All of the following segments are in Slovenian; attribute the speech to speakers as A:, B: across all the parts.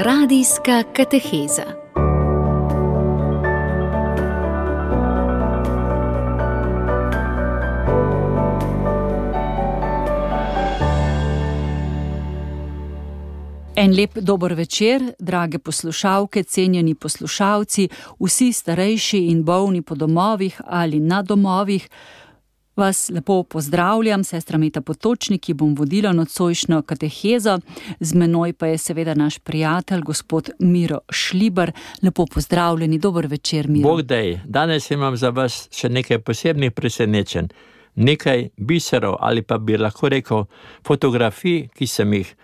A: Radijska kateheza. En lep dober večer, drage poslušalke, cenjeni poslušalci, vsi starejši in bolni po domovih ali na domovih. Vas lepo pozdravljam, sestra Meta Potočnik, ki bom vodila nocojšnjo katehezo. Z menoj pa je seveda naš prijatelj, gospod Miro Šlibar. Lepo pozdravljeni, dober večer, Miro.
B: Bog daj, danes imam za vas še nekaj posebnih presenečenj. Nekaj biserov ali pa bi lahko rekel fotografij, ki sem jih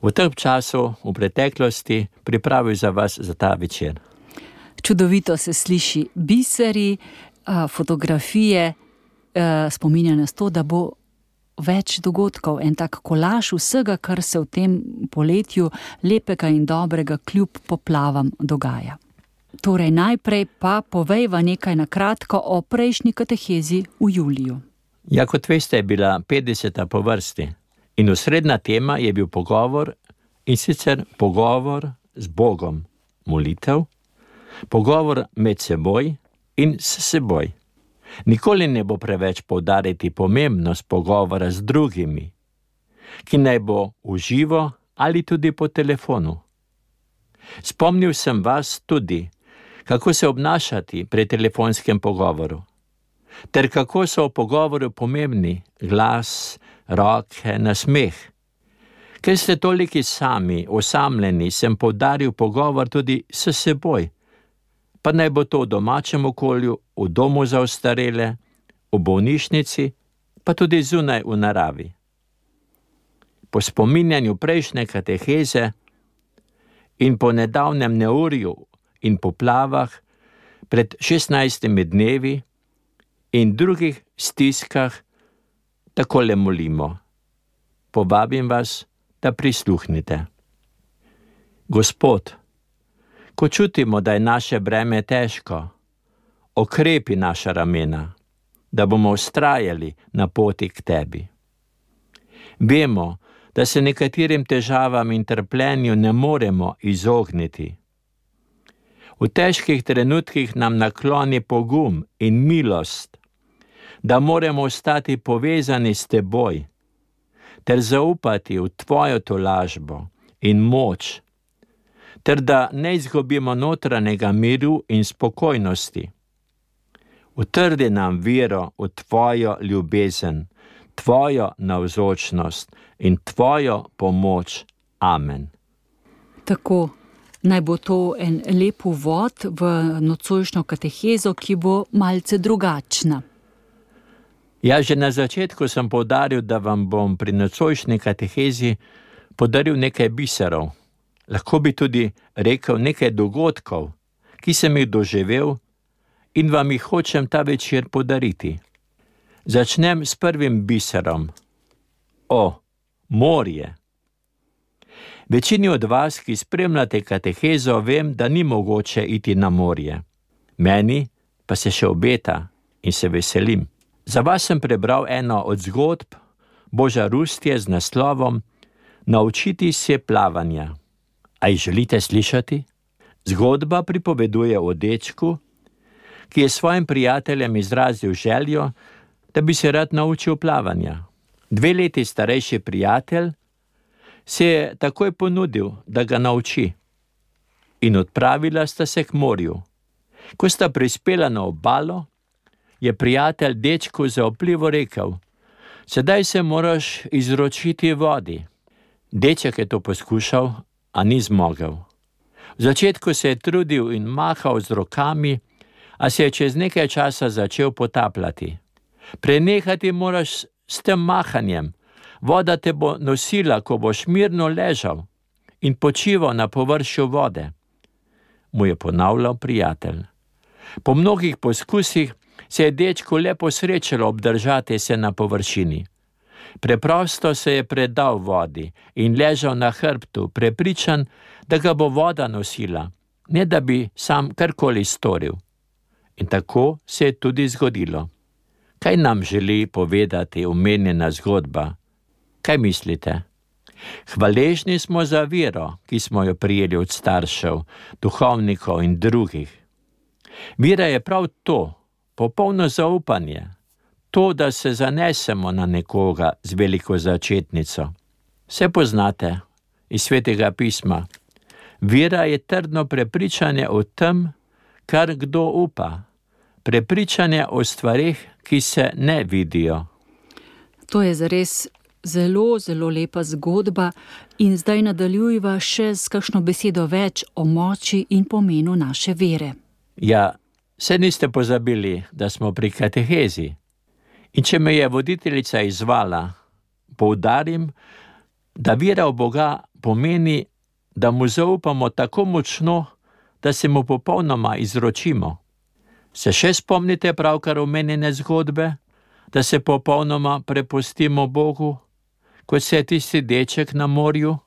B: v tem času, v preteklosti, pripravil za vas za ta večer.
A: Čudovito se sliši, biseri, fotografije, spominja nas to, da bo več dogodkov, en tak kolaž vsega, kar se v tem poletju lepega in dobrega kljub poplavam dogaja. Torej najprej pa povejva nekaj na kratko o prejšnji katehezi v juliju.
B: Ja, kot veste, je bila 50. po vrsti. In osrednja tema je bil pogovor, in sicer pogovor z Bogom, molitev, pogovor med seboj in s seboj. Nikoli ne bo preveč poudariti pomembnost pogovora z drugimi, ki naj bo v živo ali tudi po telefonu. Spomnil sem vas tudi, kako se obnašati pri telefonskem pogovoru, ter kako so v pogovoru pomembni glas, roke, nasmeh. Ker ste toliki sami, osamljeni, sem poudaril pogovor tudi s seboj, pa naj bo to v domačem okolju, v domu za ostarele, v bolnišnici, pa tudi zunaj v naravi. Po spominjanju prejšnje kateheze in po nedavnem neurju in poplavah pred 16 dnevi in drugih stiskah takole molimo. Povabim vas, da prisluhnite. Gospod, ko čutimo, da je naše breme težko, okrepi naša ramena, da bomo vztrajali na poti k tebi. Vemo, da se nekaterim težavam in trpljenju ne moremo izogniti. V težkih trenutkih nam nakloni pogum in milost, da moramo ostati povezani s teboj, ter zaupati v tvojo tolažbo in moč, ter da ne izgubimo notranjega miru in spokojnosti. Utrdi nam vero v tvojo ljubezen, tvojo navzočnost in tvojo pomoč. Amen.
A: Tako, naj bo to en lep uvod v nocojšnjo katehezo, ki bo malce drugačna.
B: Ja, že na začetku sem poudaril, da vam bom pri nocojšnji katehezi podaril nekaj biserov. Lahko bi tudi rekel nekaj dogodkov, ki sem jih doživel in vam jih hočem ta večer podariti. Začnem s prvim biserom. Morje. Večini od vas, ki spremljate katehezo, vem, da ni mogoče iti na morje. Meni pa se še obeta in se veselim. Za vas sem prebral eno od zgodb Boža Rustje z naslovom Naučiti se plavanja. A jih želite slišati? Zgodba pripoveduje o dečku, ki je svojim prijateljem izrazil željo, da bi se rad naučil plavanja. 2 leti starejši prijatelj se je takoj ponudil, da ga nauči, in odpravila sta se k morju. Ko sta prispela na obalo, je prijatelj dečku zaupljivo rekel: sedaj se moraš izročiti vodi. Deček je to poskušal, a ni zmogel. V začetku se je trudil in mahal z rokami, a se je čez nekaj časa začel potapljati. Prenehati moraš s tem mahanjem. Voda te bo nosila, ko boš mirno ležal in počival na površju vode, mu je ponavljal prijatelj. Po mnogih poskusih se je dečku le posrečilo obdržati se na površini. Preprosto se je predal vodi in ležal na hrbtu, prepričan, da ga bo voda nosila, ne da bi sam karkoli storil. In tako se je tudi zgodilo. Kaj nam želi povedati omenjena zgodba? Kaj mislite? Hvaležni smo za vero, ki smo jo prijeli od staršev, duhovnikov in drugih. Vera je prav to, popolno zaupanje, to, da se zanesemo na nekoga z veliko začetnico. Vse poznate iz Svetega pisma. Vera je trdno prepričanje o tem, kar kdo upa, prepričanje o stvareh, ki se ne vidijo.
A: To je zares zelo, zelo lepa zgodba in zdaj nadaljujva še s kakšno besedo več o moči in pomenu naše vere.
B: Ja, se niste pozabili, da smo pri katehezi. In če me je voditeljica izvala, poudarim, da vera v Boga pomeni, da mu zaupamo tako močno, da se mu popolnoma izročimo. Se še spomnite pravkar omenjene zgodbe, da se popolnoma prepustimo Bogu, kot se je tisti deček na morju?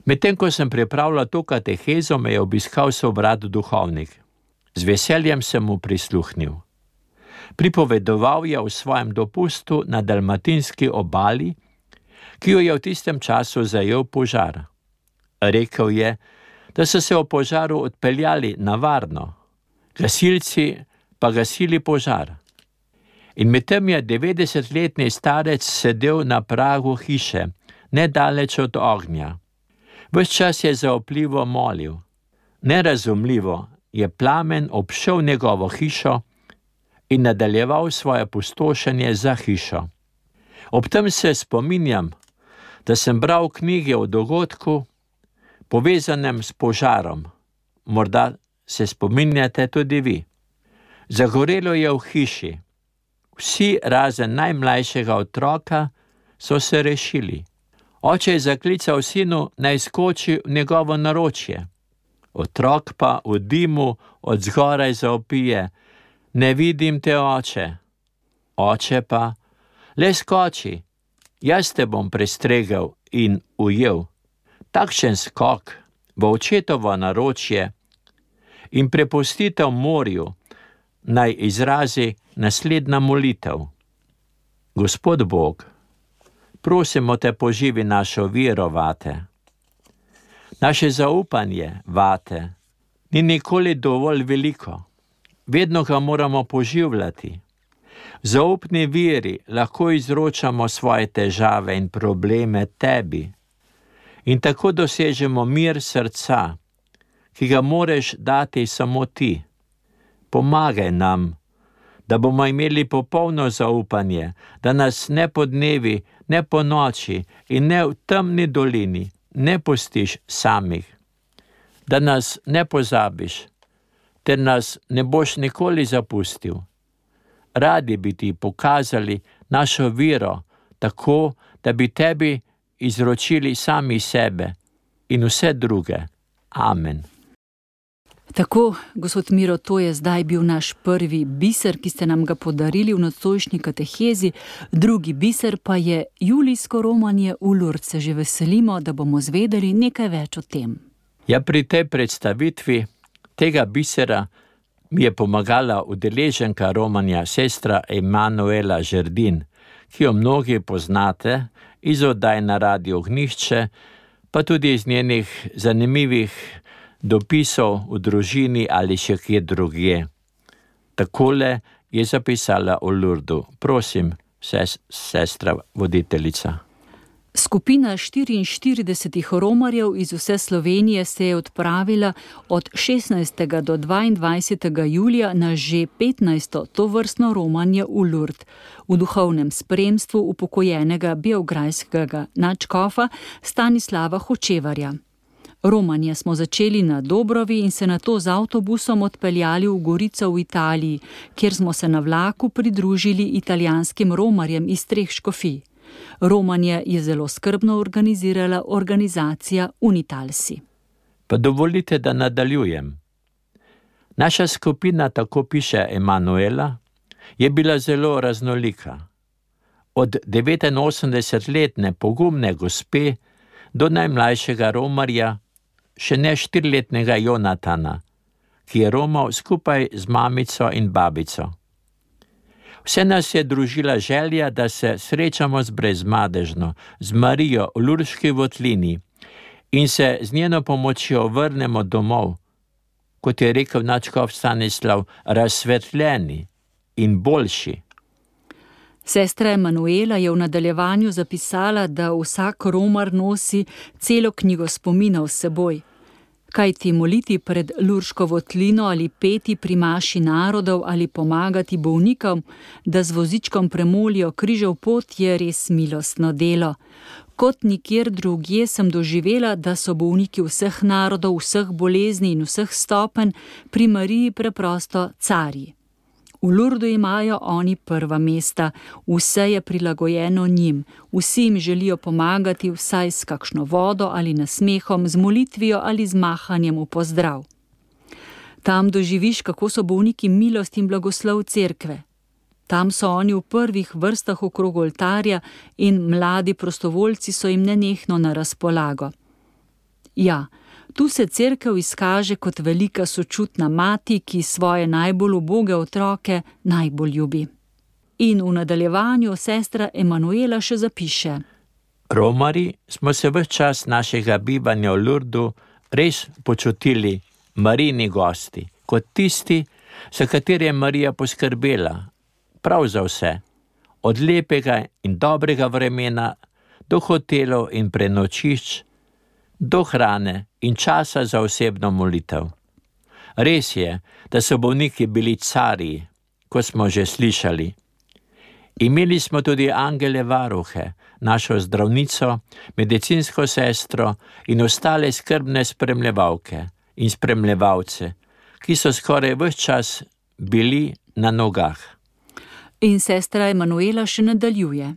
B: Medtem ko sem pripravljal to katehezo, me je obiskal sovrat duhovnik. Z veseljem sem mu prisluhnil. Pripovedoval je o svojem dopustu na dalmatinski obali, ki jo je v tistem času zajel požar. Rekel je, da so se o požaru odpeljali na varno, gasilci pa gasili požar. In medtem je 90-letni starec sedel na pragu hiše, nedaleč od ognja. Ves čas je zaupljivo molil. Nerazumljivo je plamen obšel njegovo hišo in nadaljeval svoje pustošenje za hišo. Ob tem se spominjam, da sem bral knjige o dogodku, povezanem s požarom. Morda se spominjate tudi vi. Zagorelo je v hiši. Vsi razen najmlajšega otroka so se rešili. Oče je zaklical sinu, naj skoči v njegovo naročje. Otrok pa v dimu od zgoraj zavpije: ne vidim te, oče. Oče pa: le skoči, jaz te bom prestregel in ujel. Takšen skok v očetovo naročje in prepustitev morju naj izrazi naslednja molitev. Gospod Bog, prosimo te, poživi našo vero vate. Naše zaupanje vate ni nikoli dovolj veliko. Vedno ga moramo poživljati. V zaupni veri lahko izročamo svoje težave in probleme tebi in tako dosežemo mir srca, ki ga moreš dati samo ti. Pomagaj nam, da bomo imeli popolno zaupanje, da nas ne po dnevi, ne po noči in ne v temni dolini ne pustiš samih, da nas ne pozabiš, ter nas ne boš nikoli zapustil. Radi bi ti pokazali našo vero, tako, da bi tebi izročili sami sebe in vse druge. Amen.
A: Tako, gospod Miro, to je zdaj bil naš prvi biser, ki ste nam ga podarili v nocojšnji katehezi. Drugi biser pa je julijsko romanje v Lourdes. Se že veselimo, da bomo zvedeli nekaj več o tem.
B: Ja, pri tej predstavitvi tega bisera mi je pomagala udeleženka romanja sestra Emanuela Žerdin, ki jo mnogi poznate iz oddaj na Radio Ognjišče, pa tudi iz njenih zanimivih dopisov v družini ali še kje drugje. Takole je zapisala o Lourdu. Prosim, sestra voditeljica.
A: Skupina 44 romarjev iz vse Slovenije se je odpravila od 16. do 22. julija na že 15. tovrstno romanje v Lourdes, v duhovnem spremstvu upokojenega beograjskega nadškofa Stanislava Hočevarja. Romanje smo začeli na Dobrovi in se nato z avtobusom odpeljali v Gorico v Italiji, kjer smo se na vlaku pridružili italijanskim romarjem iz 3 škofij. Romanje je zelo skrbno organizirala organizacija Unitalsi.
B: Pa dovolite, da nadaljujem. Naša skupina, tako piše Emanuela, je bila zelo raznolika. Od 89-letne pogumne gospe do najmlajšega romarja, še ne 4-letnega Jonatana, ki je romal skupaj z mamico in babico. Vse nas je družila želja, da se srečamo z Brezmadežno, z Marijo v Lurški votlini in se z njeno pomočjo vrnemo domov, kot je rekel nadškof Stanislav, razsvetljeni in boljši.
A: Sestra Emanuela je v nadaljevanju zapisala, da vsak romar nosi celo knjigo spominov s seboj. Kajti moliti pred Lurško votlino ali peti pri maši narodov ali pomagati bolnikom, da z vozičkom premolijo križev pot, je res milostno delo. Kot nikjer drugje sem doživela, da so bolniki vseh narodov, vseh bolezni in vseh stopenj pri Mariji preprosto carji. V Lurdu imajo oni prva mesta, vse je prilagojeno njim, vsi jim želijo pomagati vsaj s kakšno vodo ali nasmehom, z molitvijo ali z mahanjem v pozdrav. Tam doživiš, kako so bolniki milost in blagoslov cerkve. Tam so oni v prvih vrstah okrog oltarja in mladi prostovoljci so jim nenehno na razpolago. Ja, tu se cerkev izkaže kot velika sočutna mati, ki svoje najbolj uboge otroke najbolj ljubi. In v nadaljevanju sestra Emanuela še zapiše:
B: Romari smo se ves čas našega bivanja v Lurdu res počutili Marijini gosti, kot tisti, za katere je Marija poskrbela, prav za vse, od lepega in dobrega vremena do hotelov in prenočišč, do hrane in časa za osebno molitev. Res je, da so bolniki bili carji, kot smo že slišali. Imeli smo tudi angele varuhe, našo zdravnico, medicinsko sestro in ostale skrbne spremljevalke in spremljevalce, ki so skoraj ves čas bili na nogah.
A: In sestra Emanuela še nadaljuje: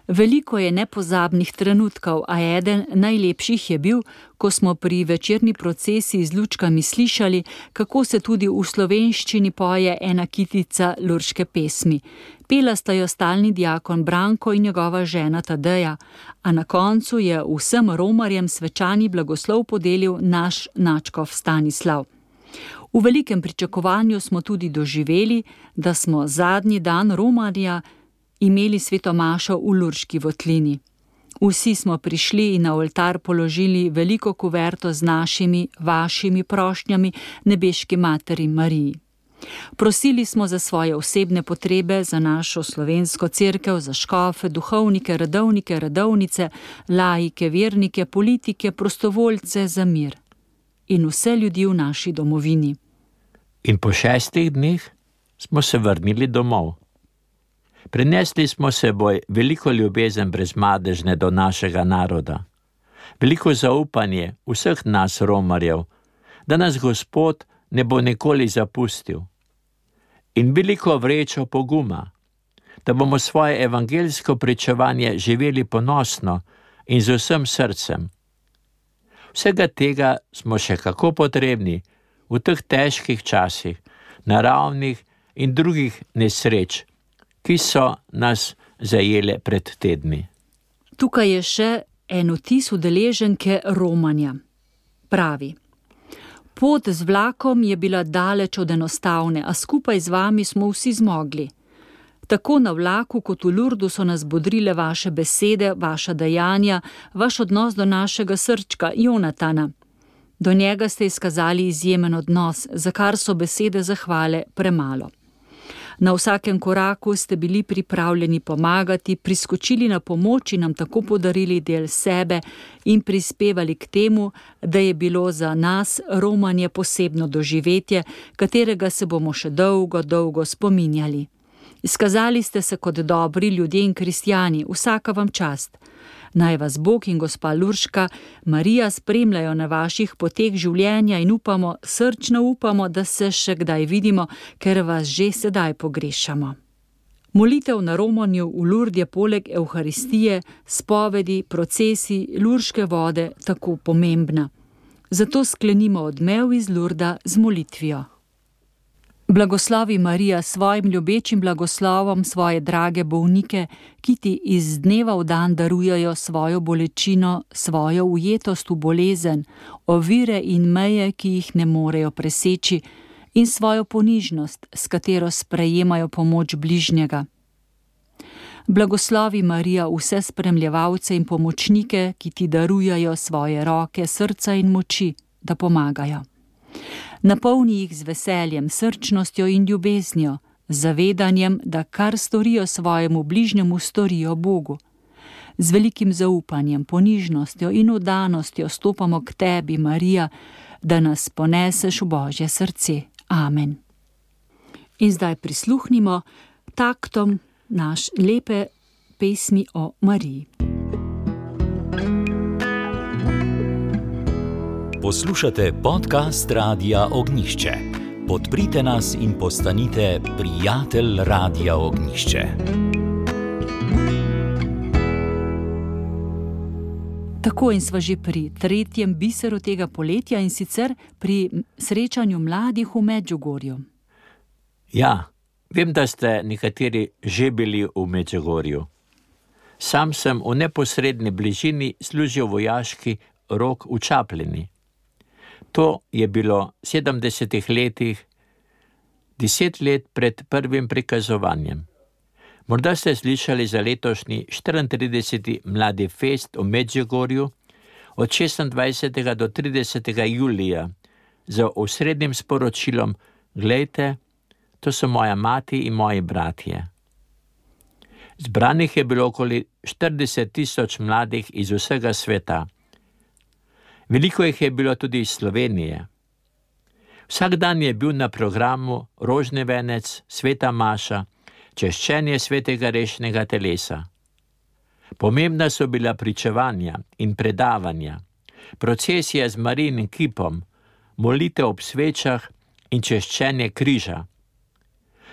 A: Veliko je nepozabnih trenutkov, a eden najlepših je bil, ko smo pri večerni procesiji z lučkami slišali, kako se tudi v slovenščini poje ena kitica lurške pesmi. Pela sta jo stalni diakon Branko in njegova žena Tadeja, a na koncu je vsem romarjem svečani blagoslov podelil naš nadškof Stanislav. V velikem pričakovanju smo tudi doživeli, da smo zadnji dan romarja imeli sveto mašo v Lurški votlini. Vsi smo prišli in na oltar položili veliko kuverto z našimi, vašimi prošnjami nebeški materi Mariji. Prosili smo za svoje osebne potrebe, za našo slovensko cerkev, za škofe, duhovnike, redovnike, redovnice, laike, vernike, politike, prostovoljce, za mir. In vse ljudi v naši domovini.
B: In po 6 dneh smo se vrnili domov. Prinesli smo seboj veliko ljubezen Brezmadežne do našega naroda, veliko zaupanje vseh nas romarjev, da nas Gospod ne bo nikoli zapustil, in veliko vrečo poguma, da bomo svoje evangeljsko pričevanje živeli ponosno in z vsem srcem. Vsega tega smo še kako potrebni v teh težkih časih, naravnih in drugih nesreč, ki so nas zajele pred tedni.
A: Tukaj je še en vtis udeleženke romanja. Pravi: Pot z vlakom je bila daleč od enostavne, a skupaj z vami smo vsi zmogli. Tako na vlaku kot v Lurdu so nas bodrile vaše besede, vaša dejanja, vaš odnos do našega srčka, Jonatana. Do njega ste izkazali izjemen odnos, za kar so besede zahvale premalo. Na vsakem koraku ste bili pripravljeni pomagati, priskočili na pomoč in nam tako podarili del sebe in prispevali k temu, da je bilo za nas romanje posebno doživetje, katerega se bomo še dolgo, dolgo spominjali. Izkazali ste se kot dobri ljudje in kristjani, vsaka vam čast. Naj vas Bog in gospa Lurška Marija spremljajo na vaših poteh življenja in upamo, srčno upamo, da se še kdaj vidimo, ker vas že sedaj pogrešamo. Molitev na romanju v Lurd je poleg Evharistije, spovedi, procesi, lurške vode tako pomembna. Zato sklenimo odmev iz Lurda z molitvijo. Blagoslovi Marija s svojim ljubečim blagoslovom svoje drage bolnike, ki ti iz dneva v dan darujejo svojo bolečino, svojo ujetost v bolezen, ovire in meje, ki jih ne morejo preseči, in svojo ponižnost, s katero sprejemajo pomoč bližnjega. Blagoslovi Marija vse spremljevalce in pomočnike, ki ti darujajo svoje roke, srca in moči, da pomagajo. Napolni jih z veseljem, srčnostjo in ljubeznijo, z zavedanjem, da kar storijo svojemu bližnjemu, storijo Bogu. Z velikim zaupanjem, ponižnostjo in vdanostjo stopamo k tebi, Marija, da nas poneseš v Božje srce. Amen. In zdaj prisluhnimo taktom naš lepe pesmi o Mariji.
C: Poslušate podcast Radia Ognjišče. Podprite nas in postanite prijatelj Radia Ognjišče.
A: Tako in sva že pri tretjem biseru tega poletja, in sicer pri srečanju mladih v Medžugorju.
B: Ja, vem, da ste nekateri že bili v Medžugorju. Sam sem v neposredni bližini služil vojaški rok v Čapljini. To je bilo v 70 letih, 10 let pred prvim prikazovanjem. Morda ste slišali za letošnji 34. Mladi fest v Medžugorju od 26. do 30. julija z osrednjim sporočilom: Glejte, to so moja mati in moji bratje. Zbranih je bilo okoli 40 000 mladih iz vsega sveta. Veliko jih je bilo tudi iz Slovenije. Vsak dan je bil na programu rožni venec, sveta maša, češčenje svetega rešnega telesa. Pomembna so bila pričevanja in predavanja, procesija z Marijinim kipom, molitev ob svečah in češčenje križa.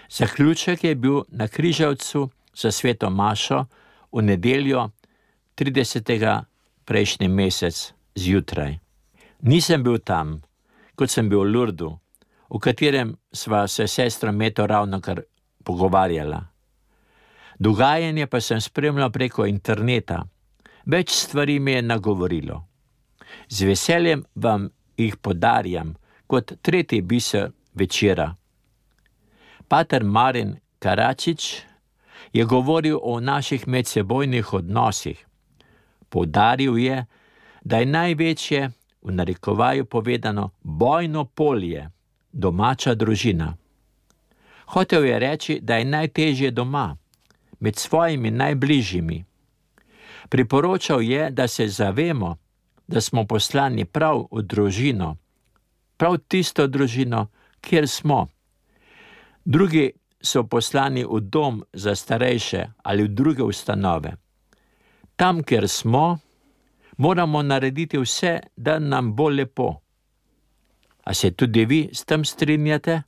B: Zaključek je bil na Križevcu za sveto mašo v nedeljo 30. prejšnji mesec zjutraj. Nisem bil tam, kot sem bil v Lurdu, v katerem sva se sestra Meto ravnokar pogovarjala. Dogajanje pa sem spremljal preko interneta. Več stvari me je nagovorilo. Z veseljem vam jih podarjam kot tretji biser večera. Pater Marin Karačič je govoril o naših medsebojnih odnosih. Poudaril je, da je največje, v narekovaju povedano, bojno polje domača družina. Hotel je reči, da je najtežje doma, med svojimi najbližjimi. Priporočal je, da se zavemo, da smo poslani prav v družino, prav tisto družino, kjer smo. Drugi so poslani v dom za starejše ali v druge ustanove. Tam, kjer smo, moramo narediti vse, da nam bo lepo. A se tudi vi s tem strinjate?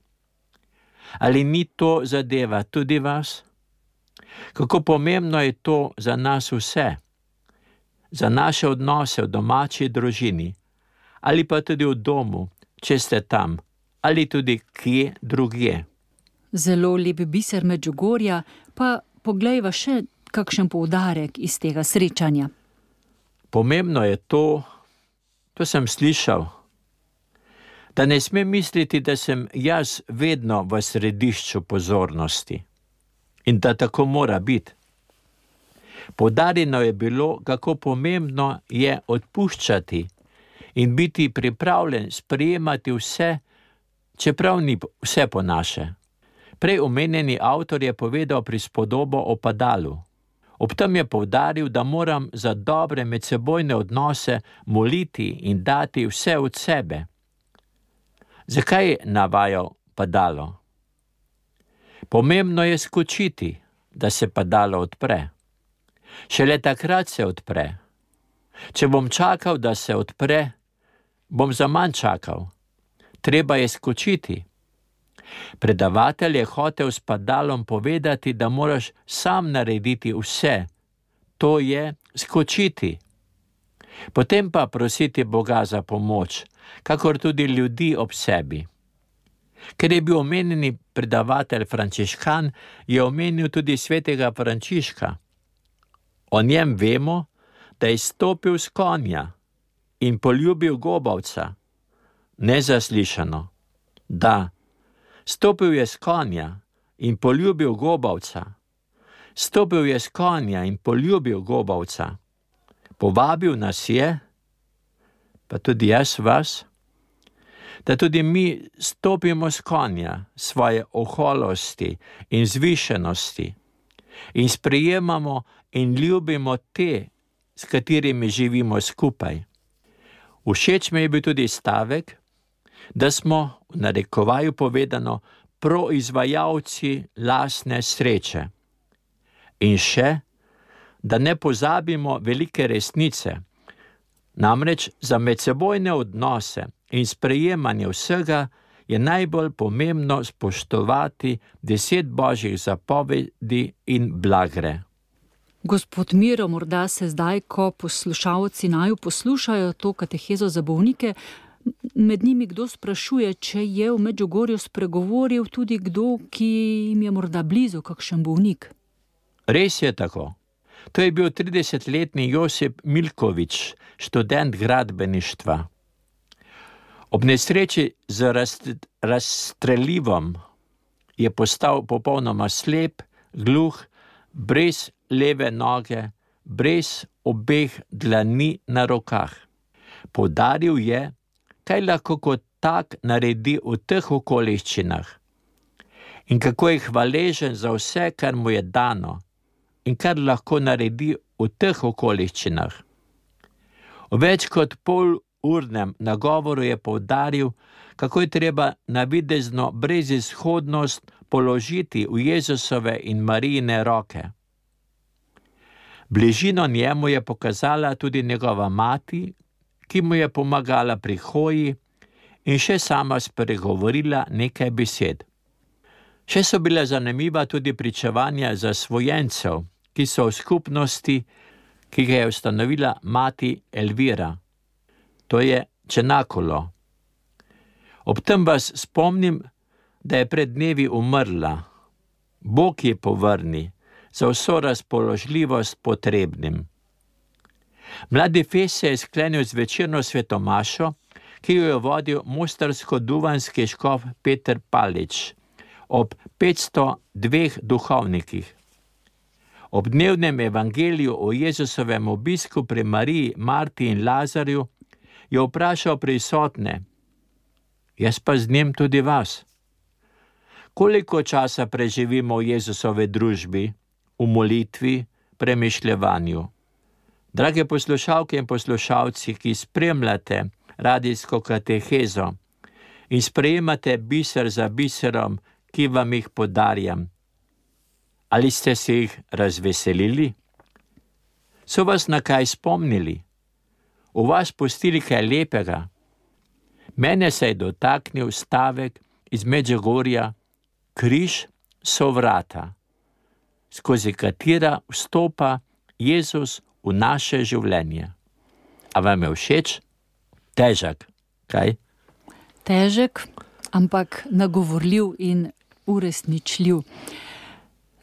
B: Ali ni to zadeva tudi vas? Kako pomembno je to za nas vse? Za naše odnose v domači družini, ali pa tudi v domu, če ste tam, ali tudi kje drugje.
A: Zelo lep biser Medžugorja, pa poglejva še kakšen poudarek iz tega srečanja.
B: Pomembno je to sem slišal, da ne smem misliti, da sem jaz vedno v središču pozornosti in da tako mora biti. Poudarjeno je bilo, kako pomembno je odpuščati in biti pripravljen sprejemati vse, čeprav ni vse po naše. Prej omenjeni avtor je povedal prispodobo o padalu. Ob tem je poudaril, da moram za dobre medsebojne odnose moliti in dati vse od sebe. Zakaj je navajal padalo? Pomembno je skočiti, da se padalo odpre. Šele takrat se odpre. Če bom čakal, da se odpre, bom zaman čakal. Treba je skočiti. Predavatelj je hotel s padalom povedati, da moraš sam narediti vse. To je skočiti. Potem pa prositi Boga za pomoč, kakor tudi ljudi ob sebi. Ker je bil omenjeni predavatelj frančiškan, je omenil tudi svetega Frančiška. O njem vemo, da je stopil s konja in poljubil gobavca. Nezaslišano. Da, Stopil je s konja in poljubil gobavca. Stopil je s konja in poljubil gobavca. Povabil nas je, pa tudi jaz vas, da tudi mi stopimo s konja svoje oholosti in zvišenosti in sprejemamo in ljubimo te, s katerimi živimo skupaj. Všeč mi je bil tudi stavek, da smo, v narekovaju povedano, proizvajalci lastne sreče. In še, da ne pozabimo velike resnice, namreč za medsebojne odnose in sprejemanje vsega je najbolj pomembno spoštovati 10 božjih zapovedi in blagre.
A: Gospod Miro, morda se zdaj, ko poslušalci naju poslušajo to katehezo za bolnike, med njimi kdo sprašuje, če je v Medžugorju spregovoril tudi kdo, ki jim je morda blizu, kakšen bolnik.
B: Res je tako. To je bil 30-letni Josip Milkovič, študent gradbeništva. Ob nesreči z razstrelivom je postal popolnoma slep, gluh, brez leve noge, brez obeh dlani na rokah. Poudaril je, kaj lahko kot tak naredi v teh okoliščinah in kako je hvaležen za vse, kar mu je dano in kar lahko naredi v teh okoliščinah. V več kot polurnem nagovoru je poudaril, kako je treba navidezno brezizhodnost položiti v Jezusove in Marijine roke. Bližino njemu je pokazala tudi njegova mati, ki mu je pomagala pri hoji in še sama spregovorila nekaj besed. Še so bila zanimiva tudi pričevanja zasvojencev, ki so v skupnosti, ki ga je ustanovila mati Elvira. To je Čenakulo. Ob tem vas spomnim, da je pred dnevi umrla. Bog je povrni za vso razpoložljivost potrebnim. Mladi Fes se je sklenil z večerno svetomašo, ki jo je vodil mostarsko-duvanski škof Peter Palič ob 502 duhovnikih. Ob dnevnem evangeliju o Jezusovem obisku pri Mariji, Marti in Lazarju je vprašal prisotne, jaz pa z njim tudi vas. Koliko časa preživimo v Jezusovi družbi, v molitvi, premišljevanju? Drage poslušalke in poslušalci, ki spremljate radijsko katehezo in sprejemate biser za biserom, ki vam jih podarjam, ali ste se jih razveselili? So vas na kaj spomnili? V vas pustili kaj lepega? Mene se je dotaknil stavek iz Medžugorja, križ so vrata, skozi katera vstopa Jezus v naše življenje. A vam je všeč? Težek, kaj?
A: Težek, ampak nagovorljiv in uresničljiv.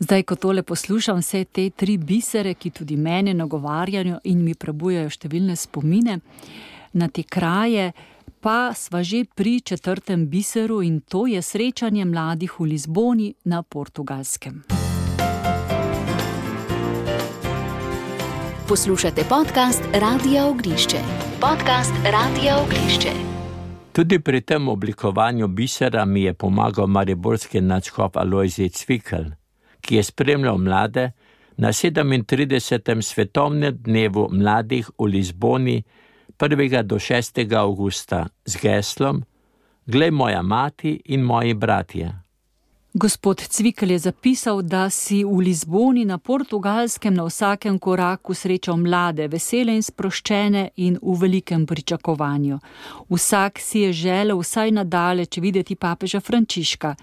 A: Zdaj, ko tole poslušam, vse te 3 bisere, ki tudi mene nagovarjajo in mi prebujajo številne spomine na te kraje, pa sva že pri 4. biseru in to je srečanje mladih v Lizboni na Portugalskem.
D: Poslušate podcast Radia Ognjišče. Podcast Radia Ognjišče.
B: Tudi pri tem oblikovanju bisera mi je pomagal mariborski nadškof Alojzij Cvikl, ki je spremljal mlade na 37. svetovnem dnevu mladih v Lizboni 1. do 6. avgusta z geslom Glej moja mati in moji bratje.
A: Gospod Cvikl je zapisal, da si v Lizboni na Portugalskem na vsakem koraku srečal mlade, vesele in sproščene in v velikem pričakovanju. Vsak si je želel vsaj nadaleč videti papeža Frančiška.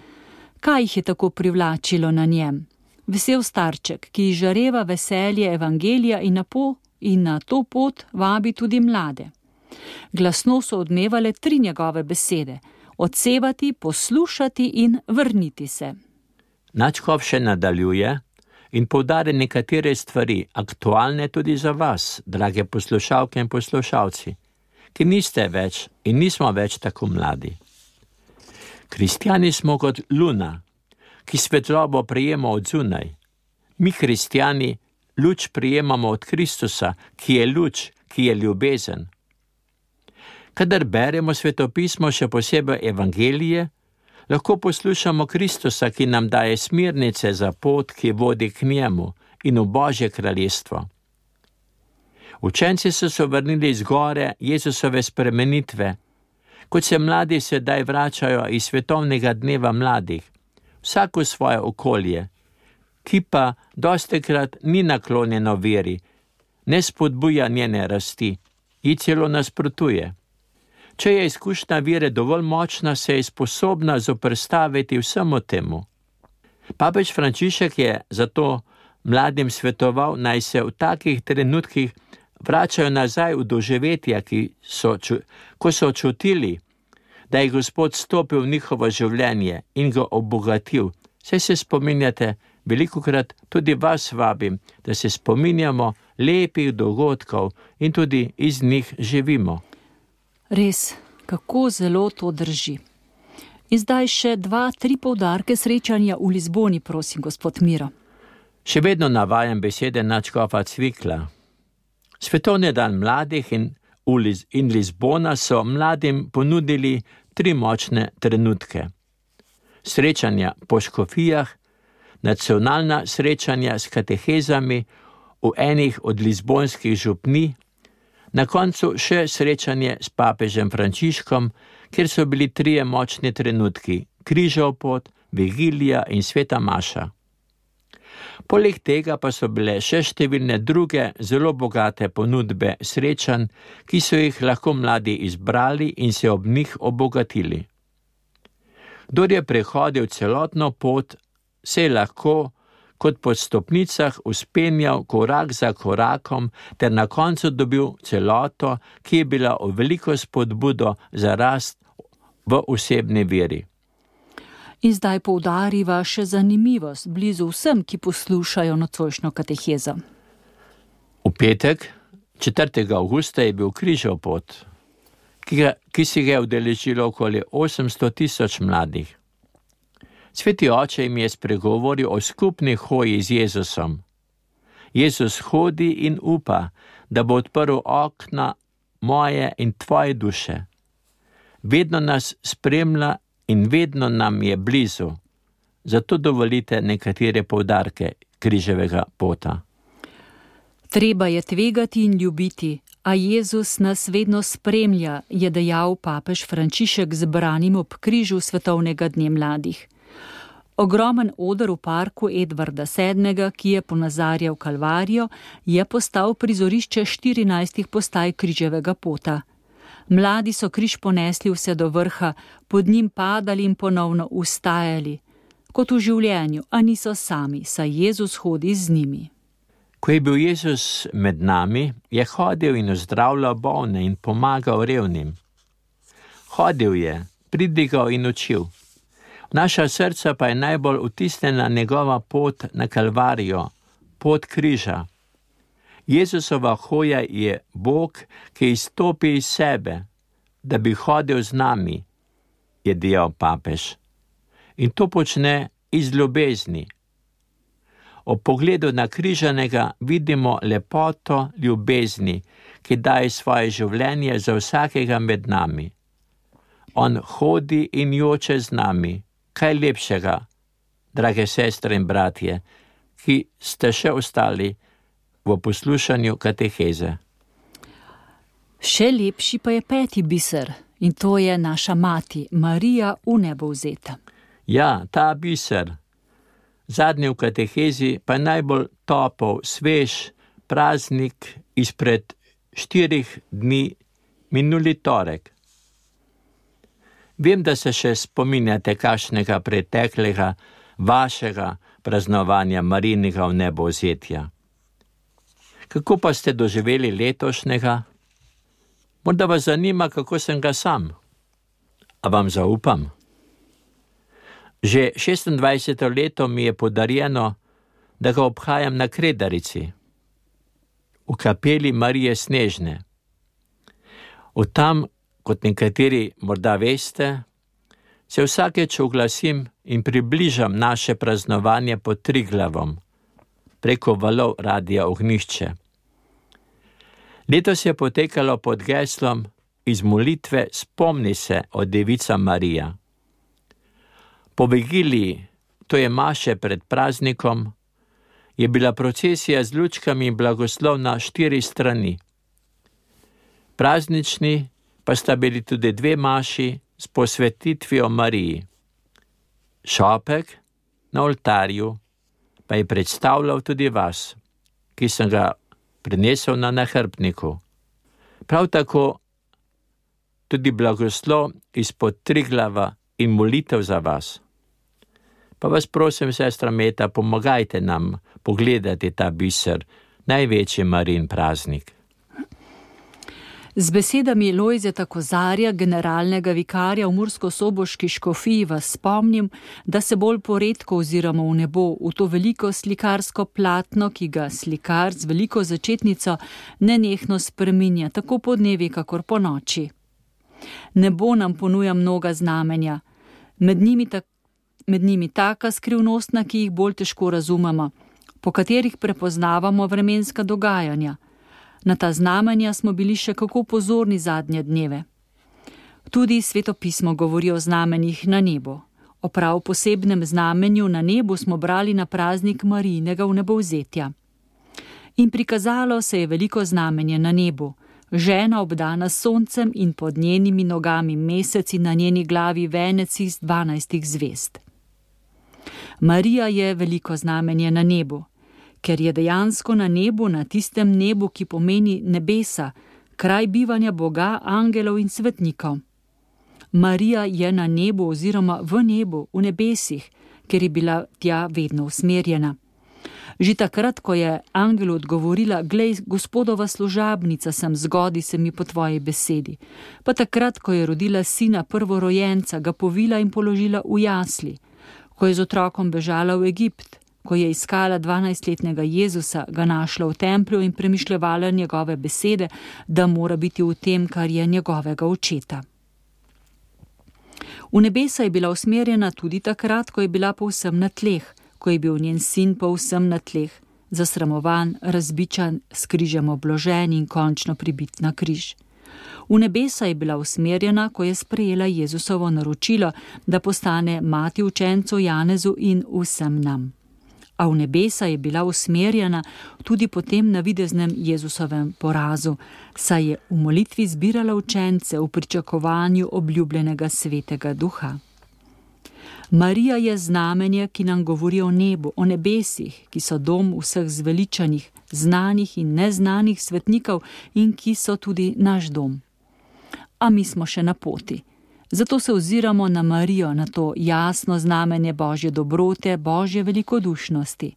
A: Kaj jih je tako privlačilo na njem? Vesel starček, ki izžareva veselje evangelija in na to pot vabi tudi mlade. Glasno so odmevale 3 njegove besede: odsevati, poslušati in vrniti se.
B: Nadškof še nadaljuje in poudari nekatere stvari, aktualne tudi za vas, drage poslušalke in poslušalci, ki niste več in nismo več tako mladi. Kristjani smo kot luna, ki svetlobo prejema od zunaj. Mi, kristjani, luč prejemamo od Kristusa, ki je luč, ki je ljubezen. Kadar beremo svetopismo, še posebej evangelije, lahko poslušamo Kristusa, ki nam daje smernice za pot, ki vodi k njemu in v Božje kraljestvo. Učenci so se vrnili z gore Jezusove spremenitve, kot se mladi sedaj vračajo iz svetovnega dneva mladih, vsak v svoje okolje, ki pa dostikrat ni naklonjeno veri, ne spodbuja njene rasti, ji celo nasprotuje. Če je izkušnja vere dovolj močna, se je sposobna zoperstaviti vsemu temu. Papež Frančišek je zato mladim svetoval, naj se v takih trenutkih vračajo nazaj v doživetja, ko so čutili, da je Gospod stopil v njihovo življenje in ga obogatil. Saj se spominjate, velikokrat tudi vas vabim, da se spominjamo lepih dogodkov in tudi iz njih živimo.
A: Res, kako zelo to drži. In zdaj še 2-3 poudarke srečanja v Lizboni, prosim, gospod Miro.
B: Še vedno navajam besede nadškofa Cvikla. Svetovni dan mladih in Lizbona so mladim ponudili 3 močne trenutke. Srečanja po škofijah, nacionalna srečanja s katehezami v enih od lizbonskih župnij, na koncu še srečanje s papežem Frančiškom, kjer so bili 3 močni trenutki: križev pot, vigilija in sveta maša. Poleg tega pa so bile še številne druge zelo bogate ponudbe srečanj, ki so jih lahko mladi izbrali in se ob njih obogatili. Kdor je prehodil celotno pot, se je lahko kot po stopnicah vzpenjal korak za korakom ter na koncu dobil celoto, ki je bila v veliko spodbudo za rast v osebni veri.
A: In zdaj poudariva še zanimivost blizu vsem, ki poslušajo nocojšnjo katehezo.
B: V petek, 4. avgusta, je bil križev pot, ki si ga je udeležilo okoli 800 000 mladih. Sveti oče jim je spregovoril o skupni hoji z Jezusom. Jezus hodi in upa, da bo odprl okna moje in tvoje duše. Vedno nas spremlja in vedno nam je blizu. Zato dovolite nekatere poudarke križevega pota.
A: Treba je tvegati in ljubiti, a Jezus nas vedno spremlja, je dejal papež Frančišek zbranim ob križu svetovnega dne mladih. Ogromen oder v parku Edvarda VII., ki je ponazarjal Kalvarijo, je postal prizorišče 14 postaj križevega pota. Mladi so križ ponesli vse do vrha, pod njim padali in ponovno vstajali. Kot v življenju, a niso sami, saj Jezus hodi z njimi.
B: Ko je bil Jezus med nami, je hodil in ozdravljal bolne in pomagal revnim. Hodil je, pridigal in učil. Naša srca pa je najbolj vtisnjena njegova pot na Kalvarijo, pot križa. Jezusova hoja je Bog, ki izstopi iz sebe, da bi hodil z nami, je dejal papež. In to počne iz ljubezni. Ob pogledu na križanega vidimo lepoto ljubezni, ki daje svoje življenje za vsakega med nami. On hodi in joče z nami. Kaj lepšega, drage sestre in bratje, ki ste še ostali v poslušanju kateheze.
A: Še lepši pa je 5. biser, in to je naša mati, Marija v nebo vzeta.
B: Ja, ta biser, zadnji v katehezi, pa je najbolj topel, svež praznik izpred 4 dni, minuli torek. Vem, da se še spominjate kakšnega preteklega vašega praznovanja Marijinega vnebovzetja. Kako pa ste doživeli letošnjega? Morda vas zanima, kako sem ga sam. A vam zaupam? Že 26. leto mi je podarjeno, da ga obhajam na Kredarici, v kapeli Marije Snežne. Od tam, kot nekateri morda veste, se vsakeč oglasim in približam naše praznovanje pod Triglavom preko valov Radia Ognjišče. Letos je potekalo pod geslom iz molitve Spomni se o Devica Marija. Po vigiliji, to je maše pred praznikom, je bila procesija z lučkami in blagoslov na 4 strani. Praznični pa sta bili tudi 2 maši s posvetitvijo Mariji. Šopek na oltarju pa je predstavljal tudi vas, ki sem ga prinesel na nahrbtniku. Prav tako tudi blagoslov izpod Triglava in molitev za vas. Pa vas prosim, sestra Meta, pomagajte nam pogledati ta biser, največji Marijin praznik.
A: Z besedami Lojzeta Kozarja, generalnega vikarja v murskosoboški škofiji, vas spomnim, da se bolj poredko oziramo v nebo, v to veliko slikarsko platno, ki ga slikar z veliko začetnico nenehno spreminja, tako po dnevi, kakor po noči. Nebo nam ponuja mnoga znamenja, med njimi taka skrivnostna, ki jih bolj težko razumemo, po katerih prepoznavamo vremenska dogajanja. Na ta znamenja smo bili še kako pozorni zadnje dneve. Tudi Sveto pismo govori o znamenjih na nebu. O prav posebnem znamenju na nebu smo brali na praznik Marijinega vnebovzetja. In prikazalo se je veliko znamenje na nebu. Žena obdana s soncem in pod njenimi nogami mesec in na njeni glavi venec iz 12 zvezd. Marija je veliko znamenje na nebu, ker je dejansko na nebu, na tistem nebu, ki pomeni nebesa, kraj bivanja Boga, angelov in svetnikov. Marija je na nebu oziroma v nebu, v nebesih, ker je bila tja vedno usmerjena. Že takrat, ko je angelu odgovorila: "Glej, Gospodova služabnica sem, zgodi se mi po tvoji besedi." Pa takrat, ko je rodila sina prvorojenca, ga povila in položila v jasli. Ko je z otrokom bežala v Egipt, ko je iskala 12-letnega Jezusa, ga našla v templju in premišljevala njegove besede, da mora biti v tem, kar je njegovega očeta. V nebesa je bila usmerjena tudi takrat, ko je bila povsem na tleh, ko je bil njen sin povsem na tleh, zasramovan, razbičan, s križem obložen in končno pribit na križ. V nebesa je bila usmerjena, ko je sprejela Jezusovo naročilo, da postane mati učencu Janezu in vsem nam. A v nebesa je bila usmerjena tudi po tem navideznem Jezusovem porazu, saj je v molitvi zbirala učence v pričakovanju obljubljenega Svetega Duha. Marija je znamenje, ki nam govori o nebu, o nebesih, ki so dom vseh zveličanih, znanih in neznanih svetnikov in ki so tudi naš dom. A mi smo še na poti. Zato se oziramo na Marijo, na to jasno znamenje Božje dobrote, Božje velikodušnosti.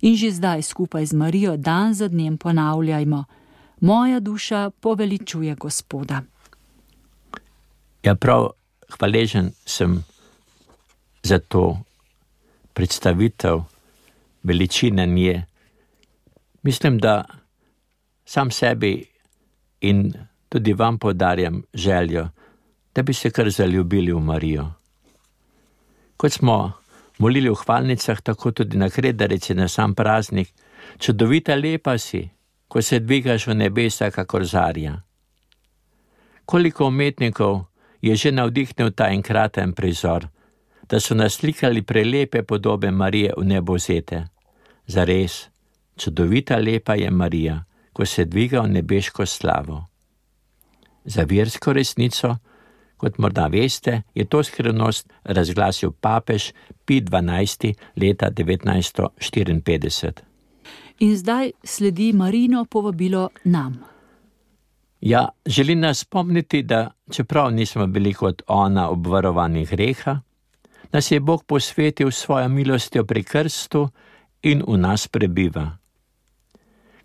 A: In že zdaj skupaj z Marijo dan za dnem ponavljajmo: moja duša poveličuje Gospoda.
B: Ja, prav hvaležen sem za to predstavitev veličine nje. Mislim, da sam sebi in tudi vam podarjam željo, da bi se kar zaljubili v Marijo. Kot smo molili v hvalnicah, tako tudi na kredarici na sam praznik: čudovita lepa si, ko se dvigaš v nebesa kakor zarja. Koliko umetnikov je že navdihnil ta enkraten prizor, da so naslikali prelepe podobe Marije vnebovzete. Zares, čudovita lepa je Marija, ko se dviga v nebeško slavo. Za versko resnico, kot morda veste, je to skrivnost razglasil papež Pij XII. Leta 1954.
A: In zdaj sledi Marijino povabilo nam.
B: Ja, želi nas spomniti, da čeprav nismo bili kot ona obvarovani greha, nas je Bog posvetil svojo milostjo pri krstu in v nas prebiva.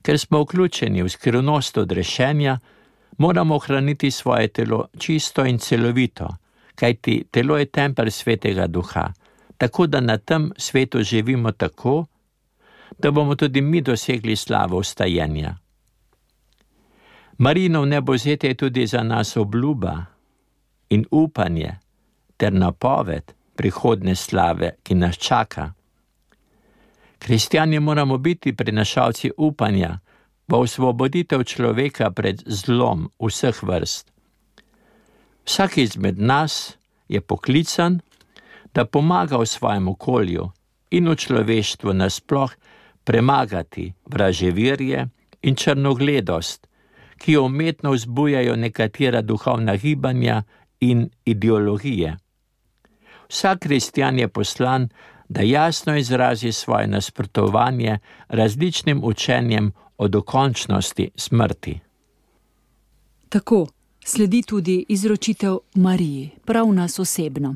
B: Ker smo vključeni v skrivnost odrešenja, moramo ohraniti svoje telo čisto in celovito, kajti telo je tempelj Svetega Duha, tako da na tem svetu živimo tako, da bomo tudi mi dosegli slavo vstajenja. Marijino vnebovzetje je tudi za nas obljuba in upanje, ter napoved prihodne slave, ki nas čaka. Kristjani moramo biti prinašalci upanja v osvoboditev človeka pred zlom vseh vrst. Vsak izmed nas je poklican, da pomaga v svojem okolju in v človeštvu nasploh premagati vraževirje in črnogledost, ki jo umetno vzbujajo nekatera duhovna gibanja in ideologije. Vsak kristjan je poslan, da jasno izrazi svoje nasprotovanje različnim učenjem o dokončnosti smrti.
A: Tako sledi tudi izročitev Mariji, prav nas osebno.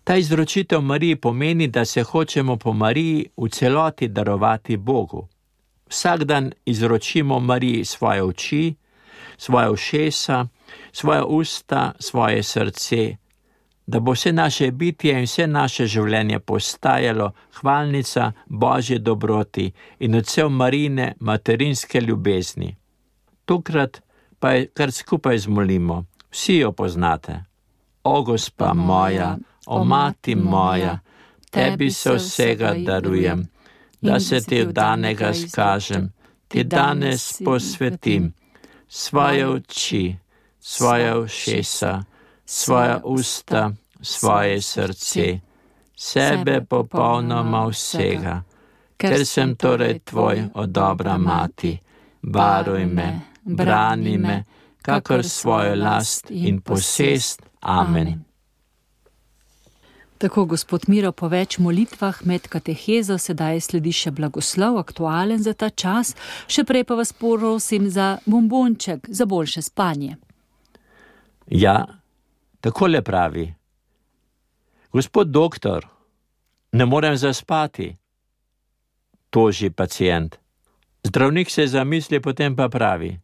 B: Ta izročitev Mariji pomeni, da se hočemo po Mariji v celoti darovati Bogu. Vsak dan izročimo Mariji svoje oči, svoje ušesa, svoje usta, svoje srce, da bo vse naše bitje in vse naše življenje postajalo hvalnica Božje dobroti in odsev Marijine materinske ljubezni. Tokrat pa je kar skupaj zmolimo, vsi jo poznate. O Gospa moja, o Mati moja, tebi se vsega darujem, da se ti vdanega skažem, ti danes posvetim svoje oči, svoje ušesa, svoja usta, svoje srce, sebe popolnoma vsega, ker sem torej tvoj, o dobra Mati, varuj me, brani me, kakor svojo last in posest. Amen.
A: Tako, gospod Miro, po več molitvah med katehezo sedaj sledi še blagoslov, aktualen za ta čas, še prej pa vas prosim za bombonček, za boljše spanje.
B: Ja, takole pravi. Gospod doktor, ne morem zaspati, toži pacient. Zdravnik se zamisli, potem pa pravi.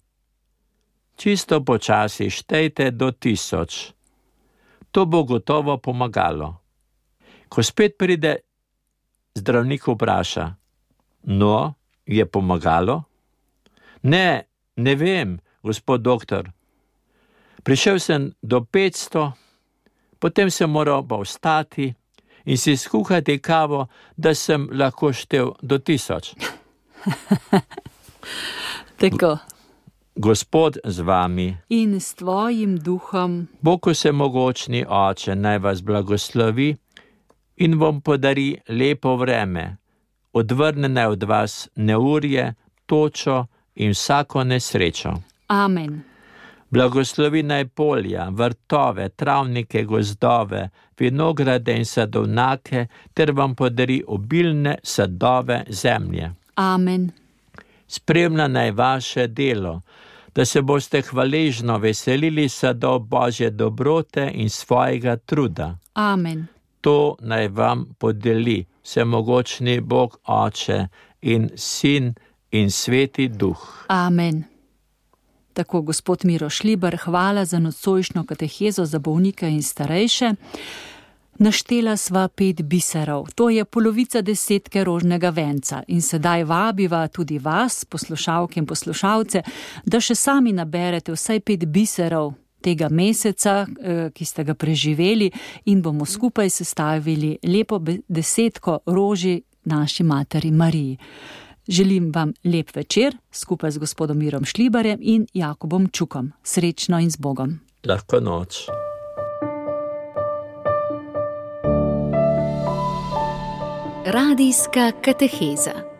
B: Čisto počasi štejte do 1000. To bo gotovo pomagalo. Ko spet pride, zdravnik vpraša. No, je pomagalo? Ne vem, gospod doktor. Prišel sem do 500, potem sem moral pa vstati in si skuhati kavo, da sem lahko štel do 1000.
A: Tako.
B: Gospod z vami.
A: In s tvojim duhom.
B: Bog vsemogočni Oče naj vas blagoslovi in vam podari lepo vreme, odvrne naj od vas neurje, točo in vsako nesrečo.
A: Amen.
B: Blagoslovi naj polja, vrtove, travnike, gozdove, vinograde in sadovnjake, ter vam podari obilne sadove zemlje.
A: Amen.
B: Spremlja naj vaše delo, da se boste hvaležno veselili sadov Božje dobrote in svojega truda.
A: Amen.
B: To naj vam podeli vsemogočni Bog Oče in Sin in Sveti Duh.
A: Amen. Tako, gospod Miro Šlibar, hvala za nocojšnjo katehezo za bolnike in starejše. Naštela sva 5 biserov, to je polovica 10 rožnega venca in sedaj vabiva tudi vas, poslušalke in poslušalce, da še sami naberete vsaj 5 biserov tega meseca, ki ste ga preživeli in bomo skupaj sestavili lepo 10 roži naši materi Mariji. Želim vam lep večer skupaj z gospodom Mirom Šlibarjem in Jakobom Čukom. Srečno in z Bogom.
B: Lahko noč.
D: Radijska kateheza.